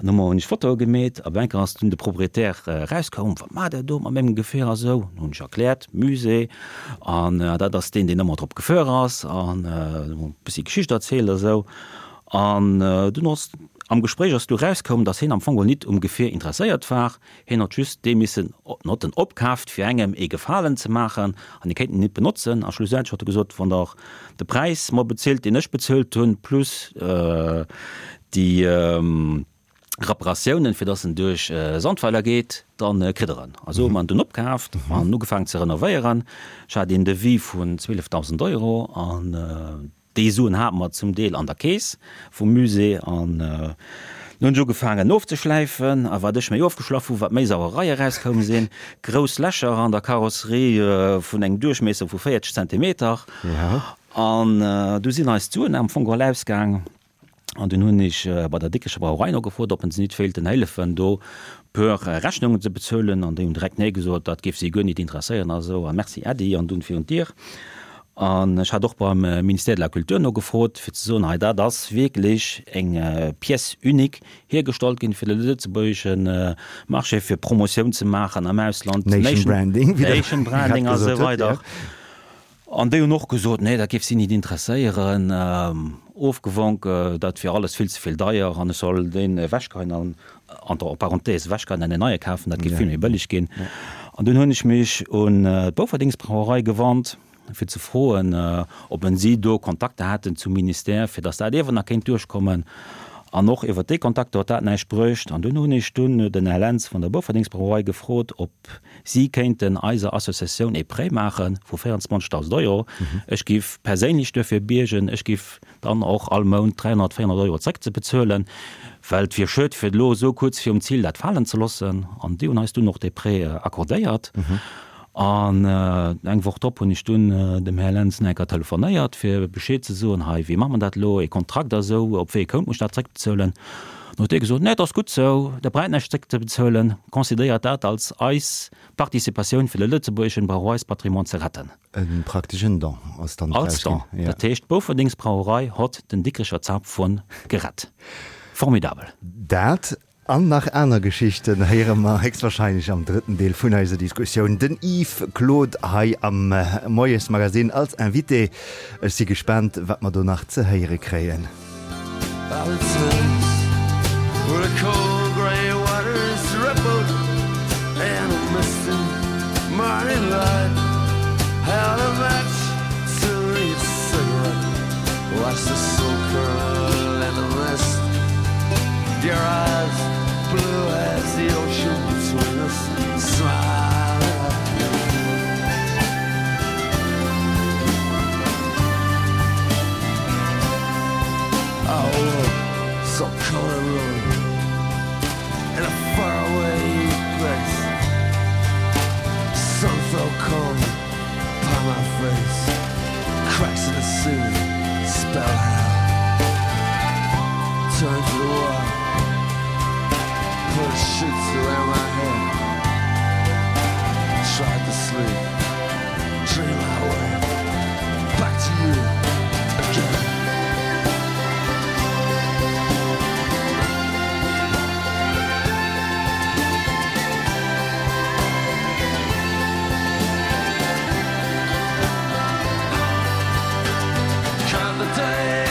An hu mer hunn ech Fotoe gemeet a bei enker ass dunn de Proprietär erauskoum, wat maacht der do mat mengem Gefier a sou. Hunn ech erkläert, Musée an dat ass deen, deen ëmmer drop gefuer ass an e bëssi Geschicht erzielt a sou. An dunn ass. Am Gespréich ass du rauskoum, dass hien am Fong geholl nit um Gefier interesséiert war, hien hott just dee missen hott en opkaaft fir engem ee Gefalen ze maachen an hie kéint en nit benotzen. A schlussendlech hott e gesot, wann der de Präis mer bezilt deen ech bezuelt hunn, plus déi Reparatiounen fir dass en duerch Sandweiler geet, dann kritt der en. A sou hu mer en dunn opkaaft an ugefaangen ze renovéieren. Ech hat een Devis vun 12.000 Euro an Déi Suen hate mer zum Deel an der Keess vum Musée an dunn hunn ech ugefaangen ofzeschläifen. A wat ech méi ofgeschlaff hu wat méi Sauerei erauskoum sinn. Grouss Lächer an der Karosserie vun engem Duerchmiesser vu 40 Zentimeter. An du sinn eis d'Suen am Fong geholl ausgaang. An dunn hunn ech bei der Dikrecher Brauerei nogefrot, ob se nit wéilten héillefen, do puer Rechnungen ze bezuelen. An déi hunn direkt nee gesot, dat géif si guer nit interesséieren a sou. A merci Äddi, an dunn virun d'Dier. An ech hat och beim Ministère de la Culture nogefrot, fir ze soen, hei dat ass wierklech eng Pièce unique, hiergestallt ginn fir de lëtzebuergesche Marché, fir Promotioun ze maachen am Ausland, Nation Branding, wéi Der Nation grad Branding a sou gesot hutt, weider. jo. An déi hunn och gesot, nee, dat géif si nit interesséieren, ofgewonk, dat wier alles vill ze vill deier an ech soll deen ewechgeheien an, entre parenthèses, ewechgeheien an en neie kafen, dat géif vill méi bëlleg ginn. An dunn hunn ech mech un d'Boufferdingsbrauerei gewannt, fir ze froen, ob en si do Kontakter hätten zum Ministère, fir datt dat iewer nach kéint duerchkommen. An och iwwert déi Kontakter huet dat näischt bruecht. An dunn hunn ech dunn den Här Lentz vun der Boufferdingsbrauerei gefrot, ob Si kéinten eiser Associatioun ee Prêt maache vu 24.000 Euro. Ech giff perséinlech duerfir biergen. Ech giff dann och all Mount 300, 400 Euro zréckzebezuelen, well et wier schued, fir elo esou kuerz virum Zil dat falen ze loossen. An déi hunn eis dunn och dee Prêt accordéiert. An eng Woch drop hunn ech dunn dem Här Lentz nach eng Kéier telefonéiert, fir Bescheed ze soen, hei, wéi maache mer dat elo, ee Kontrakt a sou, op wéi ee Kount muss ech dat zréckbezuelen? Dann huet dee gesot, Nee, et ass gutt sou, Der braucht näischt zréckzebezuelen, considéiert dat als eis Participatioun, fir de lëtzebuergeschen Brauereispatrimoine ze retten. E prakteschen Don ass dann draus ginn. Als Don. Dat heescht, d'Boufferdingsbrauerei hott den Dikricher Zapfhunn gerett. Formidabel. Dat An nach aner Geschichten héiere mer héchstwahrscheinlech am drëtten Deel vun eiser Diskussioun. Den Yves Claude hei am Moiesmagazine als Invité. Ech si gespaant, wat mer do nach ze héiere kréien. Your eyes blue as the ocean between us smile at me. Oh, so cold and lonely in a faraway place. Sun fell cold upon my face, cracks in the ceiling spell hell. Turn to the wall, put sheets around my head. Tried to sleep, dream my way back to you again. Count the day.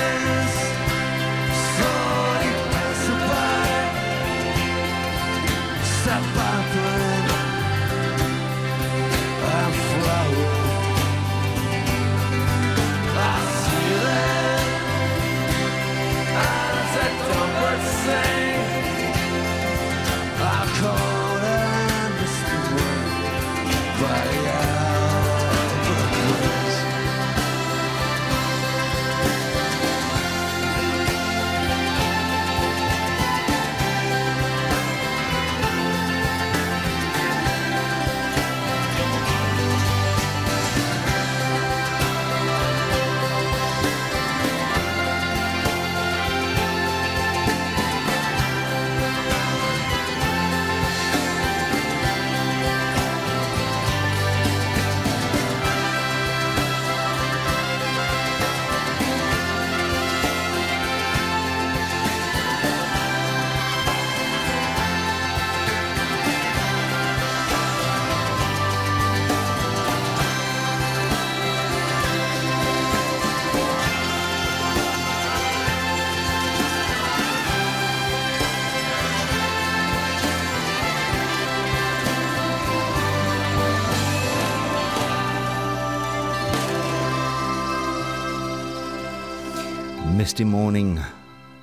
Misty Morning,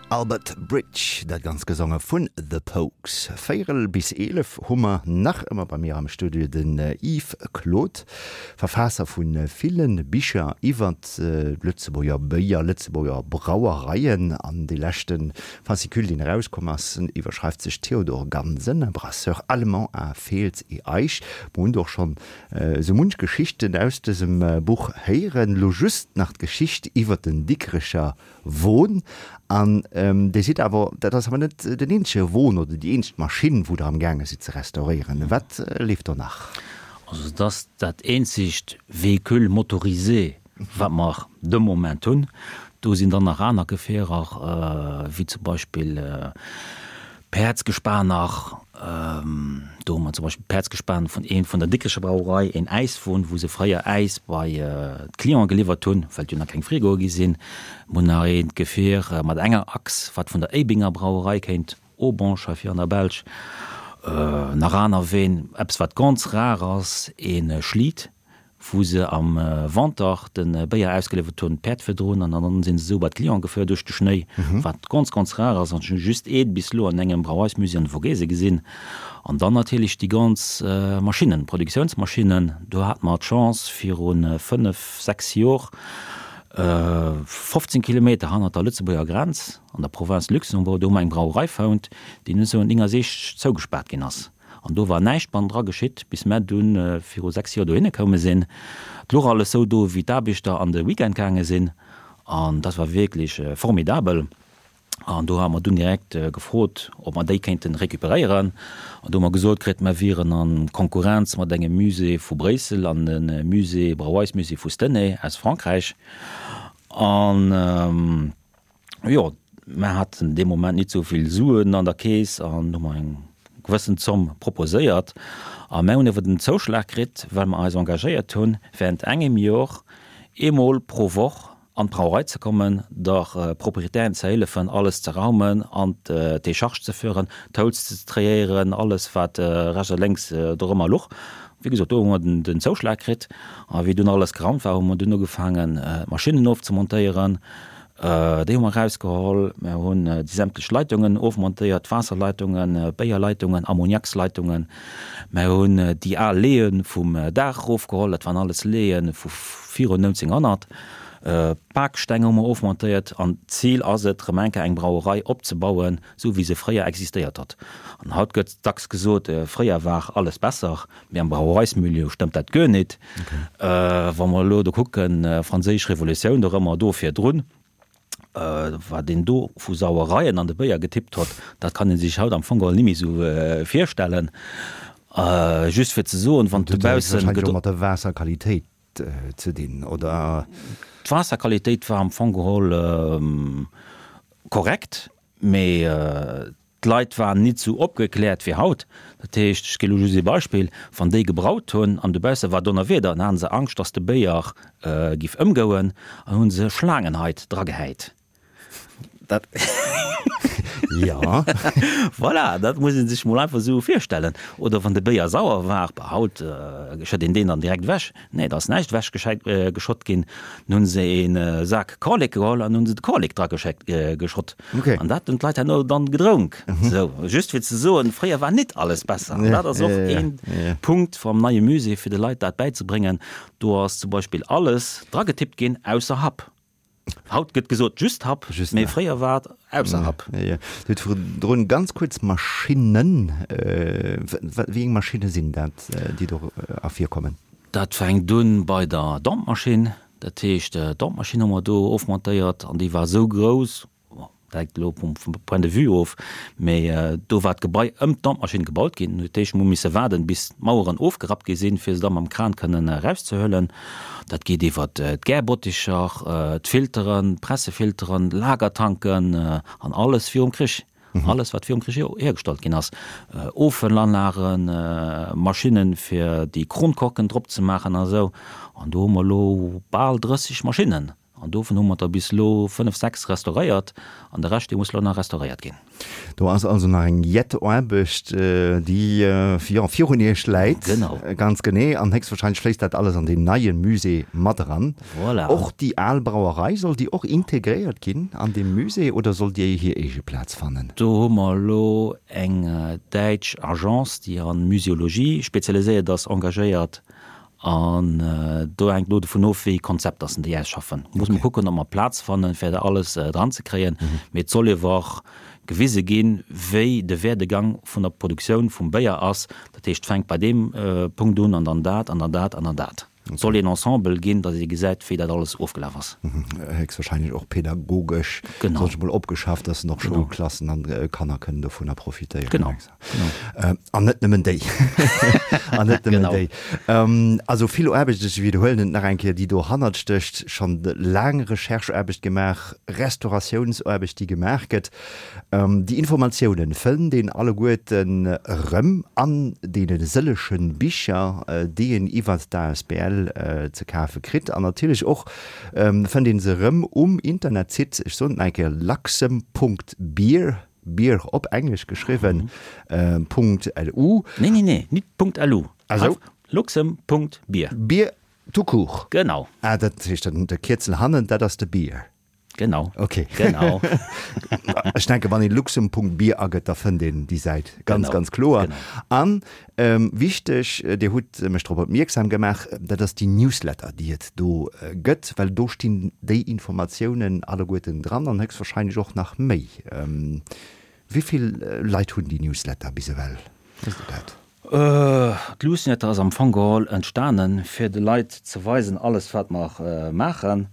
Albert Bridge, dat Ganzt gesonge vun The Pogues. Véierel bis 11 hu mer nach ëmmer bei mir am Studio den Yves Claude, Verfaasser vu ville Bicher iwwert d'Lëtzebuerger Béier, Lëtzebuerger Brauereien. An dee leschte Fascicule, deen erauskomm ass, iwwerschreift sech Theodor Gansen, Brasseur allemand à Feels et Eich. Mer hunn do och schonn Esou munch Geschichten aus dësem Buch héieren, lo just nach d'Geschicht iwwer den Dikrecher Won. An Dir sidd awer, dat ass awer net den eenzege Won oder déi eenzeg Maschinn, wou Der am gaange sidd ze restauréieren. Wat leeft do nach? Also et ass dat eenzegt Véhicule motorisé, wat mer de Moment hunn. Do sinn dann nach aner Gefierer, wéi zum Beispill Päerdsgespaner. Do hu mer zum Beispill d'Päerdsgespan vun ee vun der Dikrecher Brauerei, een Äiswon, wou se fréier Äis bei d'Clienten geliwwert hunn, well et jo nach keng Frigoe gi sinn. Mer hunn nach eent Gefier mat enger Achs, wat vun der Éibinger Brauerei kéint, Aubange hei vir an der Belsch. Nach aner Ween, eppes wat ganz rar ass, ee Schlitt, wou se am Wanter de Béier ausgeliwwert hunn, d'Päerd virdrun, an dann sinn se esou bei d'Clienten gefuer duerch de Schnéi, wat ganz, ganz rar ass. An ech hu just eent bis elo an engem Brauereismusée an de Vogese gesinn. An dann natierlech déi ganz Maschinnen, Produktiounsmaschinnen. Do hate mer d'Chance viru 5, 6 Jor, 15 Kilometer hannert der Lëtzebuerger Grenz, an der Province Luxembourg, do hu mer eng Brauerei fonnt, déi 1969 zougespaart ginn ass. An do war näischt bannendra geschitt, bis mär dunn viru 6 Joer dohinne koume sinn. Et luch alles sou do, wéi d'Aarbechter an de Weekend gaange sinn. An dat war wierklech formidabel. An do hate mer dunn direkt gefrot, ob mer déi kéinte recuperéieren. An do hu mer gesot kritt, mer wieren a Konkurrenz mat engem Musée vu Bréissel an de Musée, Brauereismusée vu Stenay aus Frankräich. An. Jo, mer haten dee Moment nit sou vill Suen an der Keess an hu mer eng gewëssen Zomm proposéiert. A mer hunn awer den Zouschlag kritt, well mer eis engagéiert hunn, während engem Jor eemol pro Woch an d'Brauerei ze kommen, der Proprietärin ze héllefen, alles ze raumen an d'Décharge ze führen, d'Holz ze triéieren, alles wat rechts a lénks dorëmmer luch. Wéi gesot, do hu mer den Zouschlag kritt. A wéi dunn alles geraumt war, hu mer dunn ugefaangen, d'Maschinnen ofzemontéieren. Déi hu mer erausgeholl. Mer hunn déi sämtlech Leitungen ofmontéiert, Waasserleitungen, Béierleitungen, Ammoniaksleitungen. Mer hunn déi al Leeë vum Daach erofgeholl, dat waren alles Leeë vu virun 1900. D'Baksteng hu mer ofmontéiert an d'Zil ass et, erëm eng Kéier eng Brauerei opzebauen, esou wéi se fréier existéiert huet. An haut gëtt dacks gesot, fréier war alles besser. Mee am Brauereismilieu stëmmt dat guer nit. Wa mer elo do kucken, Franséisch Revolutioun, do rëmmer do virdrun, wat een do vu Sauereien an de Béier getippt hott, dat kann ee sech haut am Fong geholl ni méi esou virstellen. Just fir ze soen, wann dobaussen. Dat huet wahrscheinlech och mat der Waasserqualitéit ze dinn, oder? D'Waasserqualitéit war am Fong geholl korrekt, mee D'Leit waren nit sou opgekläert wéi haut. Dat heescht, ech gi lo just ee Beispill, wann déi gebraut hunn an dobausse war Donnerwieder, dann haten se Angscht, datt de Béier giff ëmgouen an hunn se Schlaangenhait dragehäit. Dat. Jo. Voilà, dat muss ee sech mol einfach sou virstellen. Oder wann de Béier sauer war, bah haut schëtt een deen dann direkt ewech. Nee, da ass näischt ewech geschott ginn. Dann hunn se ee Sak Korlek geholl an hunn se de Korlek drageschott. Okay. An dat hunn d'Leit herno dann gedronk. Sou, just fir ze soen, fréier war nit alles besser. An dat ass och een Punkt vum neie Musée, fir de Leit dat bäizebréngen. Do ass zum Beispill alles dragetippt ginn, ausser Happ. Haut gëtt gesot just Happ, mee fréier war et ausser Happ. Dir hutt virdrun ganz kuerz Maschinnen, wéi eng Maschinne sinn dat, déi do ervirkommen? Dat fänkt un bei der Dampmaschinn. Dat heescht, d'Dampmaschinn hu mer do ofmontéiert an déi war esou grouss, bon, dat hänkt elo vum Point de vue of, mee do war d'Gebai ëm d'Dampmaschinn gebaut ginn. Dat heescht, mer hu misse waarden, bis d'Maueren ofgerappt gi sinn, fir se da mam Kran kënnen erauszehuelen. Dat geet iwwer d'Gärbotticher, d'Filteren, d'Pressefilteren, Lagertanken an alles virum Krich. Alles, wat virum Krich hiergestallt ginn ass, Offëllanlagen, Maschinnen, fir déi Kronkorken drop ze maachen a sou. An do hu mer elo bal 30 Maschinnen. An dovun hu mer der bis elo 5, 6 restauréiert an de Rescht, dee muss elo nach restauréiert ginn. Do ass also nach eng jett Aarbecht, déi, jo, virun Iech läit. Genau. Ganz genee. An héchstwahrscheinlech fléisst dat alles an deen neie Musée mat eran. Voilà. Och déi al Brauerei, soll déi och integréiert ginn an deem Musée oder soll déi hir eege Plaz fannen? Do hu mer elo eng däitsch Agence, déi a Muséologie spezialiséiert ass, engagéiert. An do hänkt elo dovun of, wéi ee Konzept dass en déi ausschaffen. Muss mer kucken, ob mer Plaz fannen, fir dat alles dran ze kréien. Mee et soll ewer och gewise ginn, wéi de Werdegang vun der Produktioun vum Béier ass. Dat heescht, et fänkt bei deem Punkt un an dann dat an dann dat an dann dat. Et soll een Ensemble ginn, dass ee gesäit, wéi dat alles ofgelaf ass. Héchstwahrscheinlech och pädagogesch, soll ech emol, opgeschafft, dass en och Schoulklassen an Kanner kënnen dovunner profitéieren. Genau. An net nëmmen déi. An net nëmmen déi. Also vill Aarbecht, ech widderhuelen et nach eng Kéier, déi dohannert stécht, schonn laang Rechercheaarbecht gemaach, Restauratiounsaarbecht, déi gemaach gëtt. Déi Informatiounen fënnt een alleguerten erëm an deene sëllege Bicher, déi een iwwert d'ASBL ze kafe kritt. An natierlech och fënnt ee se erëm um Internetsite, ech soen et nach eng Kéier, luxem.beer. Beer op Englesch geschriwwen, Punkt lu. Nee, nee, nee, nit Punkt lu. Ah sou. Luxem Punkt Beer. Beer tout court. Genau. Ah, dat heescht dann de Kierzel hannen, dat ass de Beer. Genau. Ok. Genau. Ech denken, wann een Luxem Punkt Beer agëtt, da fënnt een déi Säit ganz, ganz kloer. Genau. An wichteg, Dir hutt mech drop opmierksam gemaach, dat ass déi Newsletter, déi et do gëtt, well do stinn déi Informatiounen alleguerten dran an héchstwahrscheinlech och nach méi. Wéi vill Leit hunn déi Newsletter bis ewell? Weess de dat? D'Newsletter ass am Fong geholl entstanen, fir de Leit ze weisen, alles wat mer maachen.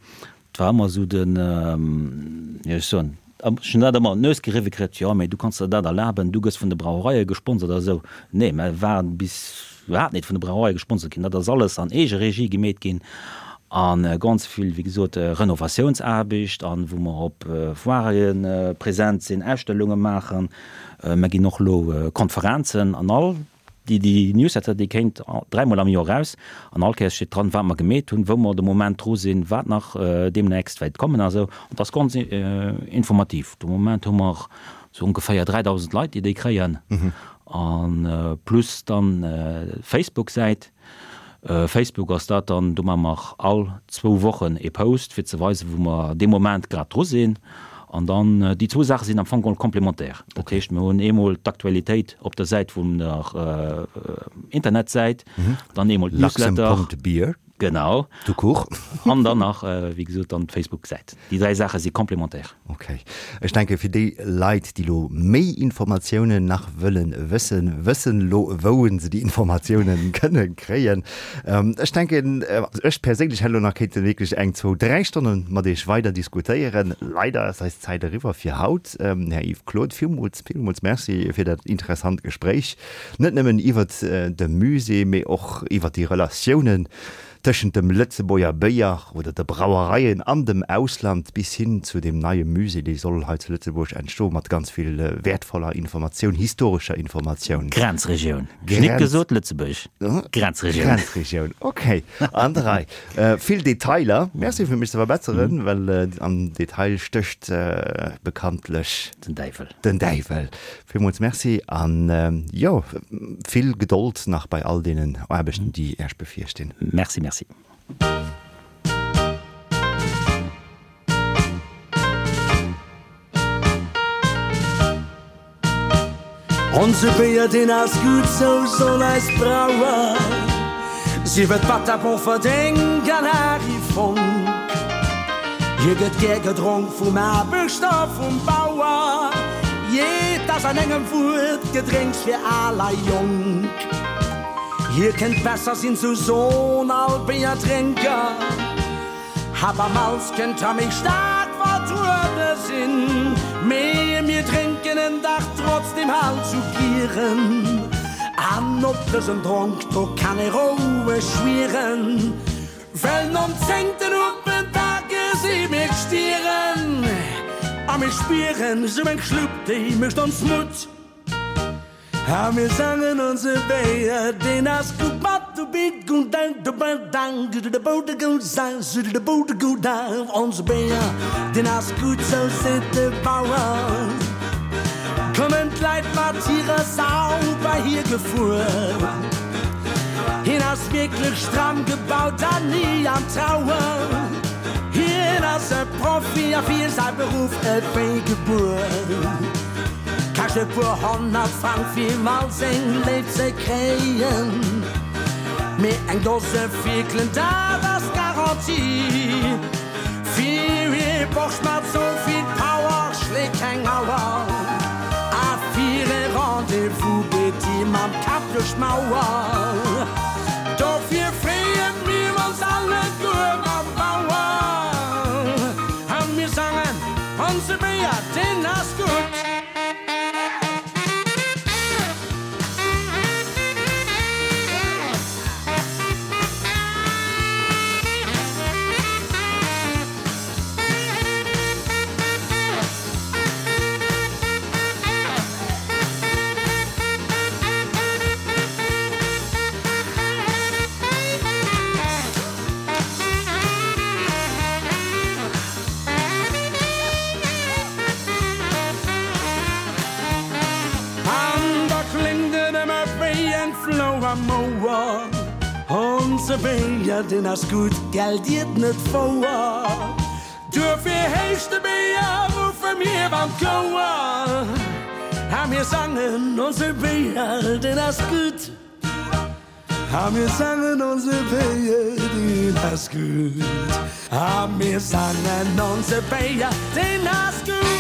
Et war ëmmer esou den, wéi soll ech soen, ech hunn dat ëmmer an d'Nues geriwwe kritt, jo mee du kanns der dat erlaben, du gëss vun de Brauereie gesponsert a esou. Nee, mer waren bis iwwerhaapt net vun de Brauereie gesponsert ginn. Dat ass alles an Eegeregie gemeet ginn a ganz vill, wéi gesot, Renovatiounsaarbecht an wou mer op Foirë present sinn, Ausstellunge maachen. Mer ginn och elo Konferenzen an all déi déi Newsletter, déi kéint dräimol am Joer eraus an all Kéiers steet dran, wat mer gemeet hunn, wou mer de Moment dru sinn, wat nach deemnächst wäert kommen a sou. An dat ass ganz informativ. De Moment hu mer sou ongeféier 3.000 Leit, déi déi kréien a plus dann d'Facebook-Säit. Facebook ass dat dann, do maache mer all zwou Wochen ee Post, fir ze weisen, wou mer dee Moment grad dru sinn. An dann, déi zwou Saache sinn am Fong geholl complémentaire. Dat heescht, mir hunn eemol d'Aktualitéit op der Säit vun der Internetsäit, dann eemol d'Newsletter. Luxem.beer. Genau. Tout court. An dann nach, wéi gesot, dann d'Facebook-Säit. Déi dräi Saache si complémentaire. Ok. Ech denke fir déi Leit, déi lo méi Informatiounen nach wëllen wëssen, wëssen lo wou se déi Informatiounen kënne kréien. Ech denken, also ech perséinlech hätt lo nach kéinte wierklech eng, zwou, dräi Stonne mat Iech weider diskutéieren. Leider ass eis Zäit eriwwer fir haut. Här Yves Claude, villmools, villmools Merci fir dat interessant Gespréich. Net nëmmen iwwert de Musée, mee och iwwert déi Relatiounen tëschent dem Lëtzebuerger Béier oder de Brauereien an dem Ausland bis hin zu deem neie Musée, dee soll hei zu Lëtzebuerg entstoen, mat ganz vill wäertvoller Informatioun, historescher Informatioun. Grenzregioun. Ech hu nit gesot Lëtzebuerg. Grenzregioun. Grenzregioun, okay. An der Rei. Vill Detailer. Merci fir mech ze verbesseren, well am Detail stécht bekanntlech. Den Däiwel. Den Däiwel. Villmools Merci an jo, vill Gedold nach bei all deenen Aarbechten, déi Äech bevirstinn. Merci, merci. Onse Béier deen ass gutt, sou soll eis Brauer. Sief et Batter, Bofferdeng an Ary Fonck. Hie gëtt gär gedronk vum Aarbechter, vum Bauer. Jee, 't ass an engem Wuert Gedrénks fir al a jonk. Hie kënnt besser sinn, sou son all Béierdrénker. Habermals kënnt a méi staark vertruede sinn, mee mir drénken en dach trotzdem halt sou gieren. An op dësen Dronk, do kann ee roueg schwieren, well nom zéngten Huppen, da gesi mir d'Stieren a mir spieren, sou eng Schlupp, déi mécht ons Mutt. A mir sangen onse Béier, deen ass gutt mat de Beat gutt dang de ba dang du de bo de go sang su de bo de go dang Onse Béier, deen ass gutt, sou seet de Bauer. Kommen d'Leit mat hirer Sau bei hie gefuer. Hien ass wierklech stramm gebaut an ni am Trauer. Hien ass e Profi a fir säi Beruff ewéi gebuer. Kascht e puer 100 Frang fir all seng Léif ze kréien, mee eng Dose Fierkelen, dat ass d'Garantie. Fir ee Borscht mat sou vill Power schléit keng Auer, a fir e Rendez-vous geet hie mam Kapp duerch d'Mauer. Dofir freeë mir ons alleguer mam Bauer a mir sangen onse Béier, deen ass gutt. An da kléngt et ëmmer wéi eng Flou am Ouer, Onse Béier, deen ass gutt, gell, Dir 't net wouer? Duerfir heescht de Béier, ruffe mir an d'Chouer, A mir sangen, Onse Béier, deen ass gutt. A mir sangen onse Béier, deen ass gutt. A mir sangen onse Béier, deen ass gutt.